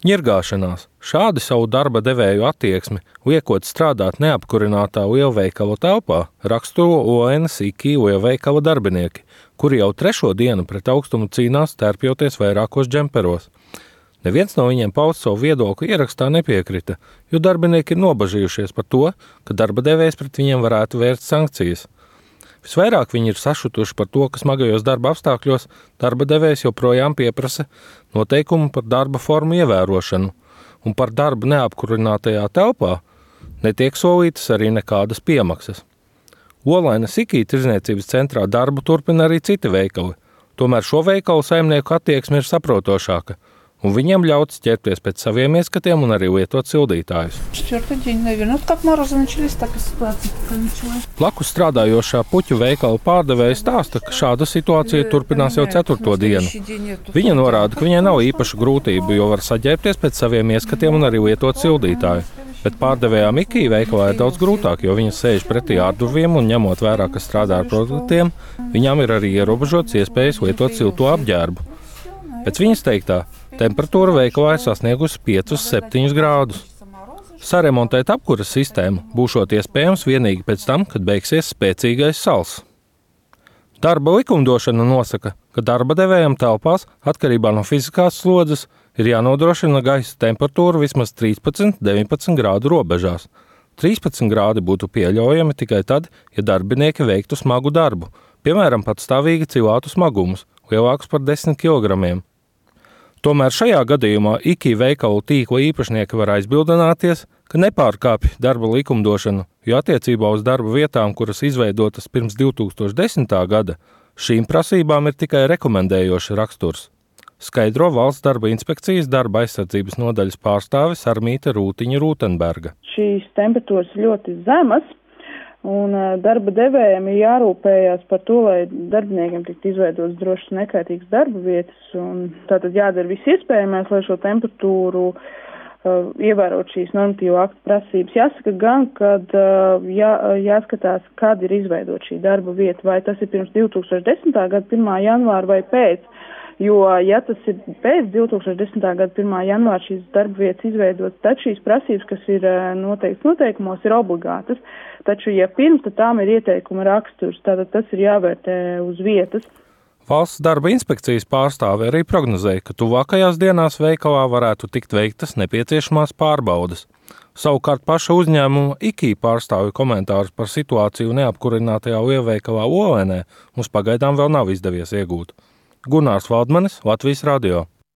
Ņirgāšanās. Šādi savu darba devēju attieksmi, liekot strādāt neapkurinātā lielveikala telpā, raksturo ONS IKI lielveikala darbinieki, kuri jau 3. dienu pret augstumu cīnās, tērpjoties vairākos džemperos. Neviens no viņiem paust savu viedokli ierakstā nepiekrita, jo darbinieki ir nobažījušies par to, ka darba devējs pret viņiem varētu vērst sankcijas. Visvairāk viņi ir sašutuši par to, ka smagajos darba apstākļos darba devējs joprojām pieprasa noteikumu par darba formu ievērošanu, un par darbu neapkurinātajā telpā netiek solītas arī nekādas piemaksas. Olainas IKI tirdzniecības centrā darbu turpina arī citi veikali, tomēr šo veikalu saimnieku attieksme ir saprotošāka, un viņiem ļauts ķerties pēc saviem ieskatiem un arī lietot sildītājus. Blakus strādājošā puķu veikala pārdevēja stāsta, ka šāda situācija turpinās jau 4. dienu. Viņa norāda, ka viņai nav īpašu grūtību, jo var saģērbties pēc saviem ieskatiem un arī lietot sildītāju. Bet pārdevējām IKI veikalā ir daudz grūtāk, jo viņa sēž pretī ārdurviem un ņemot vērā, ka strādā ar produktiem, viņām ir arī ierobežots iespējas lietot silto apģērbu. Pēc viņas teiktā, temperatūra veikalā ir sasniegusi 5–7 grādus. Saremontēt apkuras sistēmu būšot iespējams vienīgi pēc tam, kad beigsies spēcīgais sals. Darba likumdošana nosaka, ka darba devējam telpās atkarībā no fiziskās slodzes ir jānodrošina gaisa temperatūra vismaz 13–19 grādu robežās. 13 grādi būtu pieļaujami tikai tad, ja darbinieki veiktu smagu darbu, piemēram, patstāvīgi cilātu smagumus, lielākus par 10 kilogramiem. Tomēr šajā gadījumā IKI veikalu tīkla īpašnieki var aizbildināties, ka nepārkāpj darba likumdošanu, jo attiecībā uz darba vietām, kuras izveidotas pirms 2010. gada, šīm prasībām ir tikai rekomendējošs raksturs. Skaidro Valsts darba inspekcijas darba aizsardzības nodaļas pārstāve Sarmīte Rūtiņa-Rūtenberga. Šīs temperatūras ļoti zemas, un darba devējiem ir jārūpējās par to, lai darbiniekiem tiktu izveidotas drošas nekaitīgas darba vietas, un tātad jādara viss iespējamais, lai šo temperatūru ievērot šīs normatīvo aktu prasības. Jāsaka gan, kad jāskatās, kad ir izveidot šī darba vieta, vai tas ir pirms 2010. gada 1. janvāra vai pēc. Jo, ja tas ir pēc 2010. gada 1. janvāra šīs darba vietas izveidotas, tad šīs prasības, kas ir noteikts noteikumos, ir obligātas. Taču, ja pirms, tad tām ir ieteikuma raksturs, tad tas ir jāvērtē uz vietas. Valsts darba inspekcijas pārstāve arī prognozēja, ka tuvākajās dienās veikalā varētu tikt veiktas nepieciešamās pārbaudes. Savukārt paša uzņēmuma IKI pārstāvju komentārus par situāciju neapkurinātajā lielveikalā Olainē mums pagaidām vēl nav izdevies iegūt. Gunārs Valdmanis, Latvijas radio.